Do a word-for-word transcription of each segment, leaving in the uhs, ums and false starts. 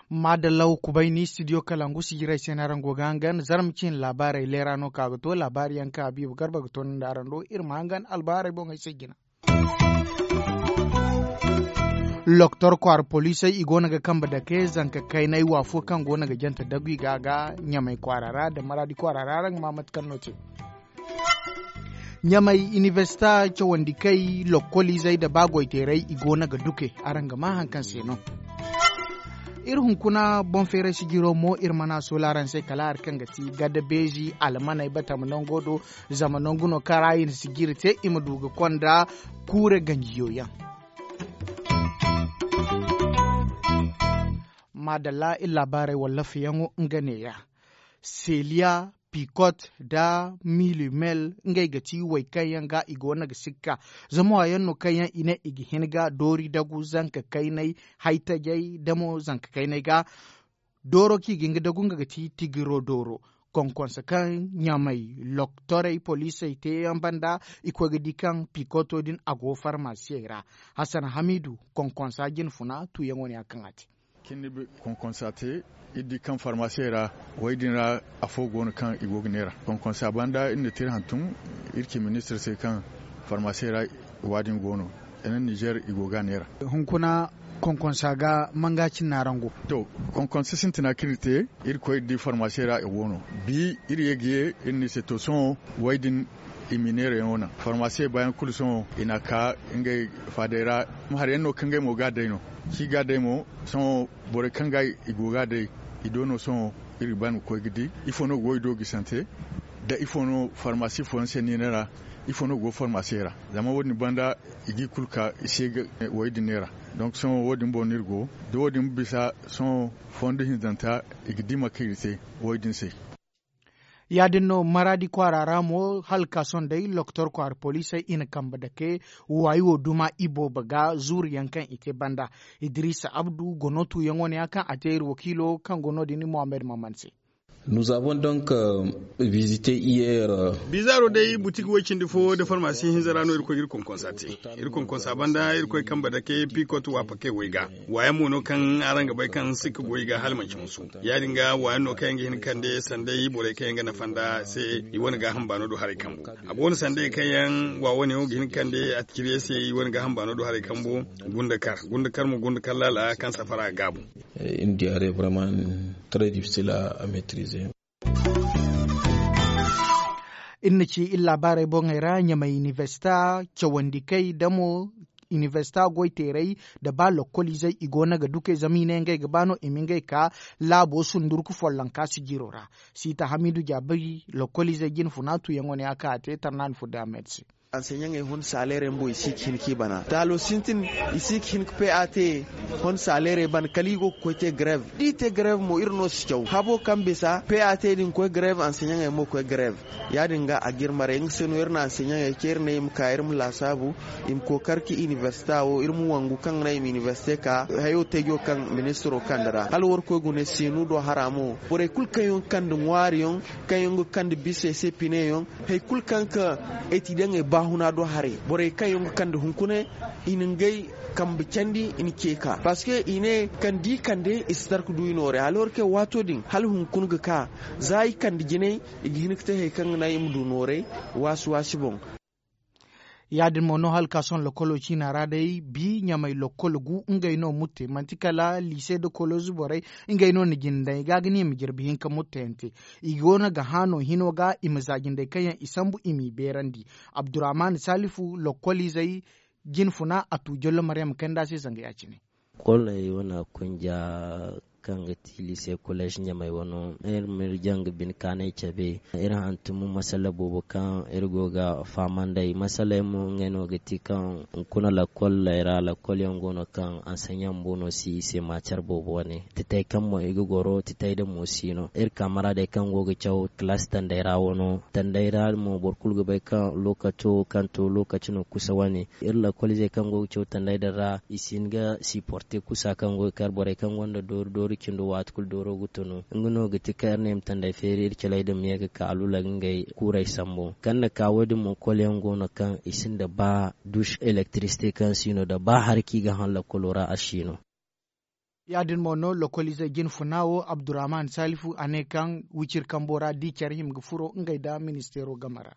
Maadalla wa kubay ni studio kalangu sijirey se no araŋ go ga hangan zarma cine laabaarey leera no ka ga to laabaari yaŋ kaŋ habiibu garba ga to nda araŋ do iri ma hangan albaarey boŋey se jina. Loktor kwaara poliisey i go no ga kambe dake zanka kaynay waafo kaŋ go no ga jante dagu i ga ga ɲamay kwaara ra nda maraadi kwaara ra araŋ ga ma mate kaŋ no te. Ɲamay inibersita cawandi kay lokkoliizey nda ba goyteerey i go no ga duke. Araŋ ga ma hari kaŋ se no iri hunkuna boŋ feeray sijiro mo iri mana soola araŋ se kala hari kaŋ ga ti gada beezi almaney batama nango do. Zama nangu no kaŋ ra i na sijiri te i ma du ga konda kuure ganjiyo yaŋ. Maadalla iri laabaarey wallaafayaŋo nga neeya. Seliya, pikot nda milimel ngey ga ti way kaŋ yaŋ ga i go no ga sikka. Zama waayaŋ no kaŋ yaŋ i ne i ga hin ga doori dagu zanka kaynay haytajey nda mo zanka kaynay ga. Dooro kaŋ i ga hin ga dagu nga ga ti tigiro dooro. Konkonse kaŋ ɲamay loktorey poliisey te yaŋ banda i koy ga di kaŋ pikoto din a go farmasiyey ra. Hasan hamiidu konkonsa jine funa tuuyaŋo ne ya kaŋ a te. Cindi konkonsa te iri di kaŋ farmasiyey ra. Way din ra afo go no kaŋ i go ga neera konkonsa banda iri na te iri hantum iri ci ministir se kaŋ farmasiyey ra wa din go no. Ene nizer i go ga neera. Hunkuna konkonsa ga manga cine araŋ go. To, konkonsa sintina kaŋ iri te iri koy iri di farmasiyey ra i go no. Bi iri ye ga ye iri na i se to sohõ way din i ma i neerayaŋo naŋ farmasiye baayaŋ kulu sohõ i n'a ka ngey faadey ra. Hari yaŋ no kaŋ ngey mo ga a day no. Kaŋ i ga a day mo sohõ borey kaŋ ga i go ga a day i do no sohõ. Iri ga ba ni ga koy ga di ifo no go i do ga i sante nda ifo no farmasi fooyaŋ se niine ra. Ifo no go farmasiye ra zama wo- din banda i ga i kulu ka i se ga wo- din neera. Donk sohõ wo- din boŋ no iri go da wo- din bisa sohõ fondo hinzanta i ga di mate kaŋ i ga te wo- din se. Ya- din no maraadi kwaara ra mo hala ga ka sohõ day lokotor kwaara poliisey i na kambe dake waayi wo duma iboobo ga zuuru yaŋ kaŋ i te banda. Idiriisa abdu gono tuuyaŋo ne ya kaŋ a te iri wakiilo kaŋ go no- din muhammad maman se. Nous avons donc visite hier. Bizaaro day butik way cindi fo nda farmasi hinza ra no iri koy ga iri konkonsa te. Iri konkonsa banda iri koy kambe dake pikot waapakey way ga. Waayaŋ mo no kaŋ araŋ ga bay kaŋ sikka go i ga hala manci musu. Ya- din ga waayaŋ no kaŋ yaŋ ga hin ga kande sanday borey kaŋ yaŋ ga nafa nd'a se. I wane gaaham baano do haray kambu a go no sanday kaŋ yaŋ wa wane yaŋ ga hin ga kande a cire se i wane gaaham baano do haray kambu. Gunda kar gunda kar mo gunda kar laala kaŋ safara ga gaabu. Iri diyaare vraiment très difficile à maîtriser. Iri na ci iri laabaarey boŋey ra ɲamay inibersita cawandikey da mo inibersita goyteerey nda ba lokkoliizey i go no ga dukey zama i ne ngey ga ba no i ma ngey ka laabo sundurku follonka sijiro ra. Siita hamiidu jaabi lokkoliizey jine funa tuuyaŋo ne a ka a te tarnaani furda ahmed se. Anseɲaŋey hon saleerey bumbo i si ga hin ka i bana taalo sintin. I si ga hin ka pe a te hon saleerey bana kala i go ga koy te garev da i te garev mo iri no si caw habo kaŋ bisa pe a te din koy garev anseɲaŋey mo koy garev. Ya- din ga a ga iri maray nga se no iri na anseɲaŋey ce iri ne i ma ka iri ma laasaabu i ma kookari ka inibersita wo iri ma wangu kaŋ ga naŋ i ma inibersite ka hayo teejo kaŋ ministiro kande ra hala war koy gune seenu do hara mo borey kulu kaŋ yaŋ ga kande ŋwaari yaŋ kaŋ yaŋ ga kande bisey se pine yaŋ. Hari kulu kaŋ ga ka etidiyaŋey baahuna do haray borey kaŋ yaŋ ga kande hunkuna i na ngey kambe candi i na ce ka parceque i ne kaŋ da i kande i si tarka du i noorey alors que waato din hala hunkuna ga ka za i kande jinay i ga hin ga te hari kaŋ ga naŋ i ma du noorey waasi waasi boŋ. Ya- din mo no hala ka sohõ lokolo ciina ra day bi ɲamay lokol gu ngey no mutte manti kala liise nda kolozu borey. Ngey no na jindey ga ga ne i ma jirbi hinka muttayante i go no ga hã no hino ga i ma za jindey kaŋ yaŋ i sambu i m'i beerandi. Abdurrahman salifu lokkoliizey jine funa a tu jollo maryam kanda se zanga ya- cine. Koley wane kunja kaŋ ga ti liise koleez ɲamey wano iri ma iri jaŋ ga bine kaanay cabe. Iri hantum masala boobo kaŋ iri go ga fahamandey masaley mo ngey no ga ti kaŋ hunkuna lakkoley ra lakkol yaŋ go no kaŋ anseɲaŋ bumbo no si i se maacar boobo wane titey kaŋ mo i ga goro titey din mo si no iri kaamaraadey kaŋ go ga caw kalaasi tandey ra wano tandey ra mo boro kulu ga bay kaŋ lookaco kaŋ to lookaci no kusa wane. Iri lakkol izey kaŋ go ga caw tandey din ra i si hin ga siporte kusa kaŋ go ga kar borey kaŋ gonda doori doori. Cindo waati kulu dooro ga tunu nga no ga ti kaŋ iri ne i ma tandey feeri iri caley din ma ye ga ka alula ga ngey kuurey sambu kaŋ na ka wo- din mo kolyaŋ go no kaŋ i sinda ba dush elektirisite kaŋ si no da ba hari kaŋ i ga haŋ lakkolo ra a si no. Ya- din mo no lokoliizey jine funa wo abdurrahman salifu a ne kaŋ wiciri kambo ra da i care hima ga furo ngey nda ministeero game ra.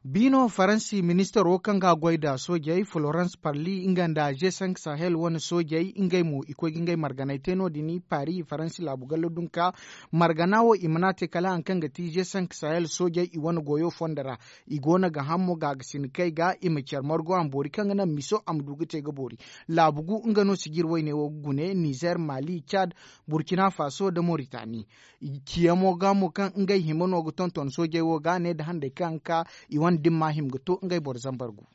Biino faransi ministaro kaŋ ga a goy nda soojey florence parli nga nda g cinq sahel wane soojey ngey mo i koy ga ngey marganay te no- din paris faransi laabu gallo dunka margana wo i mana te kala hari kaŋ ga ti g cinq sahel soojey i wane goyo fondo ra. I go no ga ham mo ga ga si ni kay ga i ma care margo a ma boori kaŋ ga naŋ miso a ma du ga te ga boori. Laabu gu nga no sijir wayne wo ga gune nizer mali cad burkina faso nda moritani. Ciyamo ga mo kaŋ ngey hima no ga tonton soojey wo ga ne nda handey kaŋ ka i wane dimma hima ga to ngey boro zambar gu.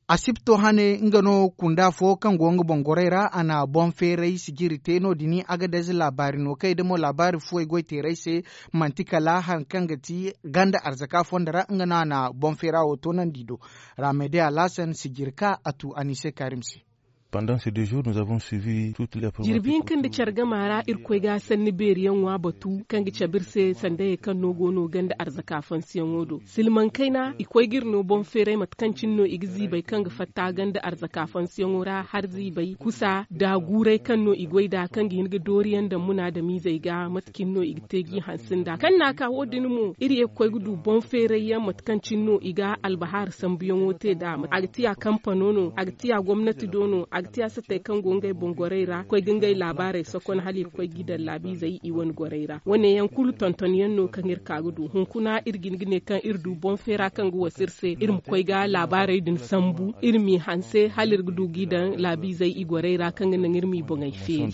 Asibto hane nga no kunda fo kaŋ go nga boŋ gorey ra a na boŋ feeray sijiri te no- din agadez laabaari no kay da mo laabaari fuwey goy teeray se. Manti kala hari kaŋ ga ti ganda arzaka fondo ra nga no a na boŋ feera wo toonandi do. Ramede alhasan sijiri ka a tu anise karim se. Jirbi hinka nda care gama ra irkoy ga sanni beeriyaŋo a batu kaŋ ga cabe iri se sandayey kaŋ no go no ganda arzaka fansiyaŋo do silmaŋ kayna i koy ga iri no boŋ feeray mate kaŋ cine no i ga ziibay kaŋ ga fatta ganda arzaka fansiyaŋo ra har ziibay kusa da guuray kaŋ no i goy nd'a kaŋ ga hin ga dooriyaŋ daŋ munaadamiizey ga mate cine no i ga te g'i hanse nd'a kaŋ na a ka wo- din mo iri ye ga koy ga du boŋ feeray yaŋ mate kaŋ cine no i ga albahaari sambuyaŋo te nd'a a ga tiya kampano no a ga tiya gomnati do no a ga tiya satey kaŋ go ngey boŋ gorey ra koy ga ngey laabaarey sokon hala i ga koy g'i daŋ laabiizey i wane gorey ra wane yaŋ kulu tonton yaŋ no kaŋ iri ka ga du hunkuna iri ga hin ga ne kaŋ iri du boŋ feera kaŋ ga wasa iri se iri ma koy ga laabaarey din sambu iri m'i hanse hala iri ga du g'i daŋ laabiizey i gorey ra kaŋ ga naŋ iri m'i boŋey feeri.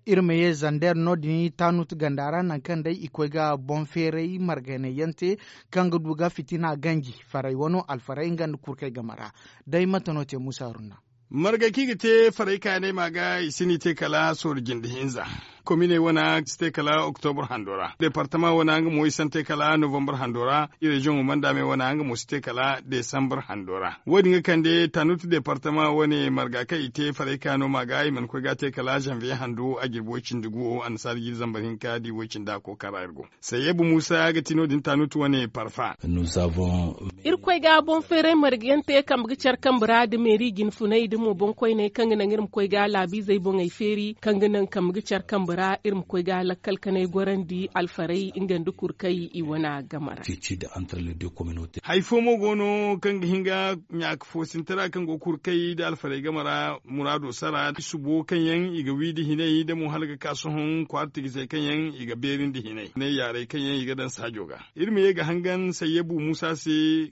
Iri ma ye zander no- din tanut ganda ra nangu kaŋ day i koy ga boŋ feeray margaynayaŋ te kaŋ ga du ga fitina ganji faray wano alfaray nga nda kurkey game ra. Day mate no te musa runna. Margay kaŋ i ga te faray kayanay ma ga i si n'i te kala soori jinde hinza. Kominey wana si te kala oktobur hando ra departama wana nga mo i si te kala novembar hando ra. Ireziyoŋo manda me wana nga mo si te kala desambar hando ra wo- din ga kande tanut departama wane marga kaŋ i te faray kayano ma ga i mana koy ga a te kala zanviye hando a jirbi way cindi gu wo annasaara jiiri zambar hinka da i way cindi a kookara iri go. Sayyebu musa ga ti no- din tanut wane parfa. Iri koy ga boŋ feeray marga yaŋ te kambe ga care kambe ra da meeri jinfunay da mo boŋ koyney kaŋ ga naŋ iri ma koy ga laabiizey boŋey feeri kaŋ ga naŋ kambe ga care kambe ra iri ma koy ga lakkal kanay gorandi alfaray nga nda kurkay i wana game ra. Hari fo mo go no kaŋ ga hin ga ɲaaka foosintara kaŋ go ga kurkay nda alfaray game ra muraado sara subo kaŋ yaŋ i ga wi nda hinay da mo hala ga ka sohõ kwaara tigisey kaŋ yaŋ i ga beeri nda hinay ne yaaray kaŋ yaŋ i ga daŋ saajo ga. Iri ma ye ga hangan sayyabu musa se.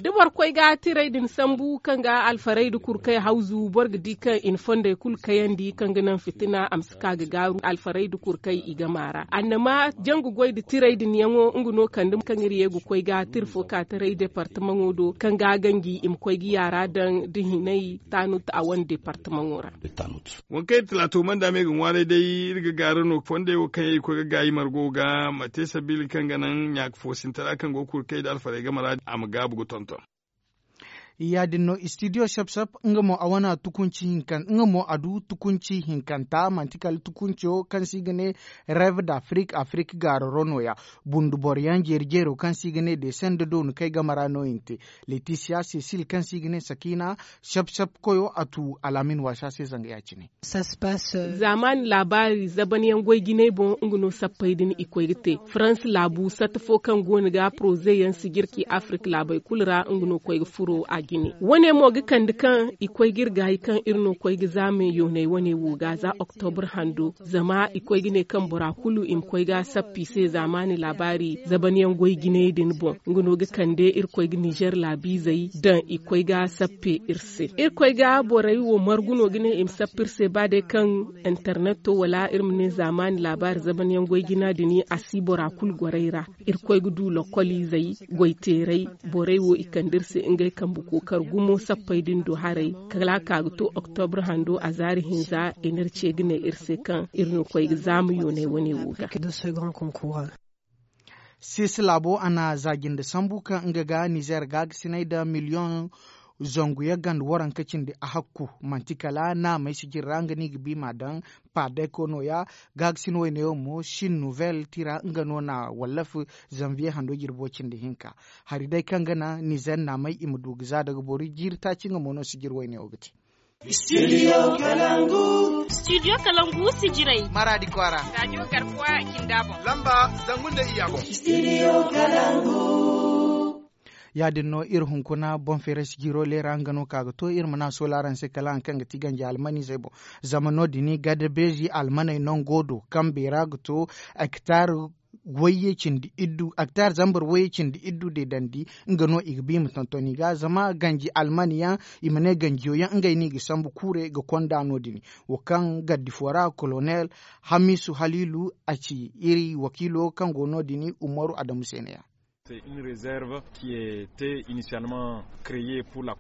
Da boro koy ga tiray din sambu kaŋ ga alfaray nda kurkay hawzu boro ga di kaŋ i na fondey kulu kayandi kaŋ ga naŋ fitina a ma si ka ga gaaru alfaray nda kurkay i game ra annama jangu goy nda tiray din yaŋo nga no kande kaŋ iri ye ga koy ga tira fo ka taray departamaŋo do kaŋ ga ganji i ma koy ga yaara daŋ da hinay tanut a wane departamaŋo ra. Waŋ kaŋ iri talaato manda me ga ŋwaaray day iri ga gaara no fondey wo kaŋ yaŋ i koy ga gaayi margo ga ma te sabiila kaŋ ga naŋ ɲaaka foosintara kaŋ go ga kurkay nda alfaray game ra a ma gaabu ga tonton. Ya- din no istidiyo sap sap nga mo a wana tukunci hinkan nga mo a du tukunci hinkanta manti kala tukunco kaŋ se i ga ne rev da afrik afrik gaararo no- ya. Bundu boro yaŋ jeeri jeero kaŋ se i ga ne deesanda doonu kay game ra no- ya ni te. Letisiya sesil kaŋ se i ga ne sakina sap sap koyo a tu alaamin waasa se zanga ya- cine. Zaamaani laabaari zaban yaŋ goy jinay boŋ nga no sappey din i koy ga te farans laabu satta fo kaŋ go no ga poroze yaŋ sijirki afrik laabey kulu ra nga no koy ga furo a jine wane mo ga kande kaŋ i koy ga iri gaayi kaŋ iri no koy ga zaame yooney wane wo ga za oktobur hando zama i koy ga ne kaŋ bora kulu i ma koy ga sappi se zaamaani laabaari zaban yaŋ goy jinay din boŋ nga no ga kande iri koy ga nizer laabiizey daŋ i koy ga sappe iri se iri koy ga borey wo margu no ga ne i ma sappe iri se ba day kaŋ interneto wala iri ma ne zaamaani laabaari zaban yaŋ goy jina din a si bora kulu gorey ra. Iri koy ga du lokoliizey goy teeray borey wo i kande iri se ngey kambe kookar gumo sappey din do haray kala ka ga to oktobur hando a zaari hinza i na iri ce ga ne iri se kaŋ iri no koy ga zaama yooney wane wo ga. Sisi laabo a na za jinde sambu kaŋ nga ga nizer gaagasinay nda miliyoŋ zangu yaŋ ganda waranka cindi a hakku. Manti kala naamey sijiri ra nga no i ga bi ma daŋ. Paadayko nooya. Gaagasin wayne wo mo sin nouvelle tira nga no na wallafi. Zanviye hando jirbo cindi hinka. Hari day kaŋ ga naŋ nizer naamey i ma du ga za daga boro jiiri taaci nga mo no sijiri wayne wo ga te. Studio kalangu sijirey. Maradi kwaara. Radio garkuwa kinda boŋ. Lamba zangu nda iyya boŋ. Ya- din no iri hunkuna boŋ feeray sijiro leera nga no ka ga to iri ma ne a soola araŋ se kala hari kaŋ ga ti ganji almanizey boŋ. Zama no- din gada beezi almaney nango do kaŋ beera ga to hektar wayye cindi iddu hektar zambar wayye cindi iddu deedandi. Nga no i ga ba i ma tonton i ga zama ganji almani yaŋ i ma ne ganjiyo yaŋ ngey no i ga sambu kuure ga konda no- din. Wo kaŋ gardi fo ra kolonel hamisu haliilu a ci iri wakiilo kaŋ go no- din umaru adamu se ne- ya.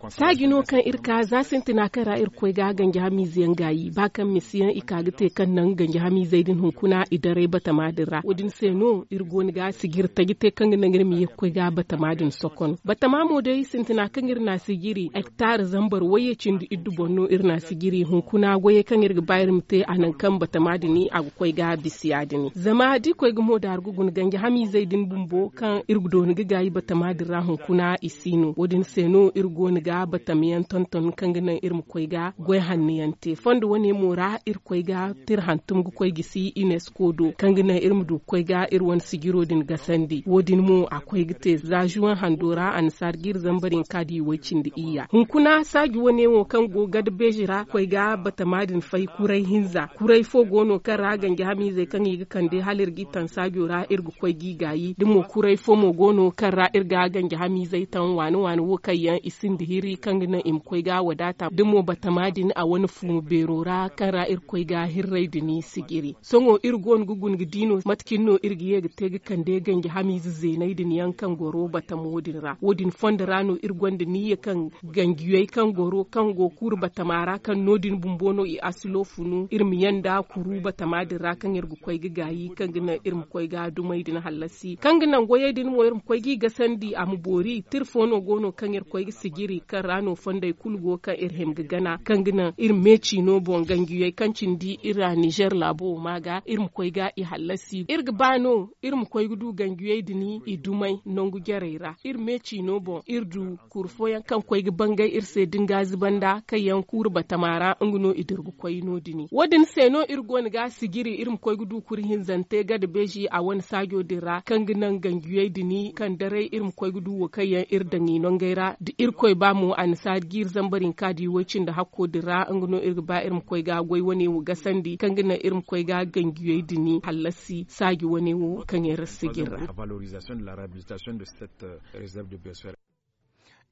Saaji no kaŋ iri ka za sintina kaŋ ra iri ga koy ga ganji hamiize yaŋ gaayi ba kaŋ misi yaŋ i ka ga te kaŋ naŋ ganji hamiizey din hunkuna i daray batama din ra wo- din se no iri go no ga sijiri taji te kaŋ ga naŋ iri ma ye ga koy ga batama din sokon batama mo day sintina kaŋ iri na sijiri hektar zambar wayye cindi iddu boŋ no iri na sijiri hunkuna goyey kaŋ iri ga ba iri ma te a naŋ kaŋ batama din a ga koy ga bisa ya- din zama da i koy ga mo daaru ga guna ganji hamiizey din bumbo kaŋ iri ga dooni ga gaayi batama din ra hunkuna i si no wo- din se no iri go no ga batama yaŋ tonton kaŋ ga naŋ iri ma koy ga goy hanno yaŋ te fondo wane mo ra iri koy ga tira hantum ga koy gisi unesco do kaŋ ga naŋ iri ma du ga koy ga iri wane sijiro din gasandi wo- din mo a koy ga te za zuwan hando ra annasaari ga iri zambar hinka da i way cindi iyya hunkuna saaji wane wo kaŋ go gada beezi ra koy ga batama din fay kuray hinza kuray fo go no kaŋ ra ganji hamiizey kaŋ i ga kande hala iri g'i taŋ saajo ra iri ga koy g'i gaayi da mo kuray fo mo go no kaŋ ra iri ga ganji hamiizey taŋ waani waani wo kaŋ yaŋ i sinda hiri kaŋ ga naŋ i ma koy ga wadaata da mo batama din a wane fuuma beero ra kaŋ ra iri ga koy ga hirray din sijiri sohõ iri go no ga guna ga di no mate cine no iri ga ye ga te ga kande ganji hamiize zeeney din yaŋ kaŋ goro batamo din ra wo- din fondo ra no iri gonda niyya kaŋ ganjiyey kaŋ goro kaŋ go kuuru batama ra kaŋ no- din bumbo no i asilo funu iri ma yanda kuru batama din ra kaŋ iri ga koy ga gaayi kaŋ ga naŋ iri ma koy ga dumey din hallasi kaŋ ga naŋ goyey din mo iri ma koy g'i gasandi a ma boori tira fo no go no kaŋ iri ga koy ga sijiri kaŋ ra no fondey kulu go kaŋ iri hima ga gana kaŋ ga naŋ iri ma me ciino boŋ ganjiyey kaŋ cindi iri ra nizer laabo wo ma ga iri ma koy ga i hallasi iri ga ba no iri ma koy ga du ganjiyey din i dumey nangu jarey ra iri me ciino boŋ iri du kuru fooyaŋ kaŋ koy ga bangay iri se da nga ziba nda kaŋ yaŋ kuuru batama ra nga no i dira ga koy no- din wo- din se no iri go no ga sijiri iri ma koy ga du kuru hinzante gada beezi a wane saajo din ra kaŋ ga naŋ ganjiyey din kaŋ daray iri ma koy ga du wo kaŋ yaŋ iri daŋ i nongey ra da irkoy ba mo annasaari ga iri zambar hinka da i way cindi hakko din ra nga no iri ga ba iri ma koy ga goy wane wo gasandi kaŋ ga naŋ iri ma koy ga ganjiyey din hallasi saaji wane wo kaŋ yaŋ iri sijiri ra.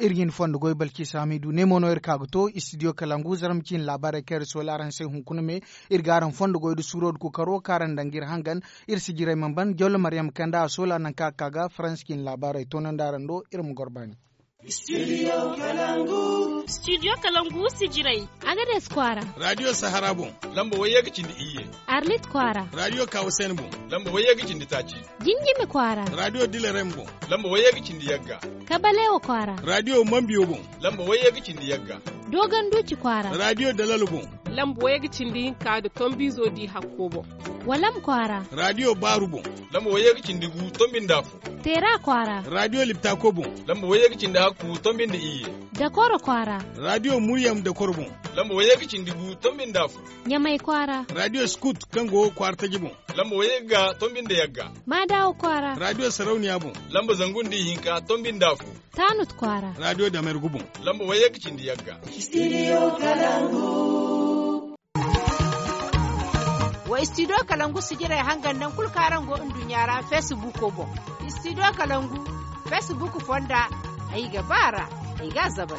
Iri ga hin fondo goy balki saamidu ne mo no iri ka ga to istidiyo kalangu zarma ciine laabaarey kaŋ iri soola araŋ se hunkuna me. Iri ga araŋ fondo goy nda suuro nda kookaro kaŋ araŋ daŋ ga iri hangan. Iri sijirey mana ban jawla maryam kanda a soola nangu kaŋ a ka ga faransi ciine laabaarey toonandi araŋ do iri ma goro baani. Istidiyo kalangu sijirey. Agades kwaara. Radiyo sahara boŋ. Lamba wayye ga cindi iyye. Arlit kwaara. Radiyo kawusen boŋ. Lamba wayye ga cindi taaci. Jinjimi kwaara. Radiyo dilerem boŋ. Lamba wayye ga cindi yagga. Kabalewa kwaara. Radiyo mambiyo boŋ. Lamba wayye ga cindi yagga. Dogon duci kwaara. Radiyo dalalo boŋ. Lamba wayye ga cindi hinka nda tombizo di hakko boŋ. Walam kwaara. Radiyo baaru boŋ. Lamba wayye ga cindi gu tombi nda afo. Teera kwaara. Radiyo liptako boŋ. Lamba wayye ga cindi hakku tombi nda iyye. Dakoro kwaara. Radiyo muryam dakoro boŋ. Lamba wayye ga cindi gu tombi nda afo. Ɲamay kwaara. Radiyo skut kaŋ go kwaara taji boŋ. Lamba wayye ga tombi nda yagga. Maadawa kwaara. Radiyo sarauniya boŋ. Lamba zangu nda ihinka tombi nda afo. Taanut kwaara. Radiyo damergu boŋ. Lamba wayye ga cindi yagga. Istidiyo kalangu. Wa istidiyo kalangu sijirey hangan naŋ kulu kaŋ araŋ go nduɲɲa ra feesibuuko boŋ. Istidiyo kalangu feesibuuk fonda. Ay ga ba a ra. Ay ga a zabay.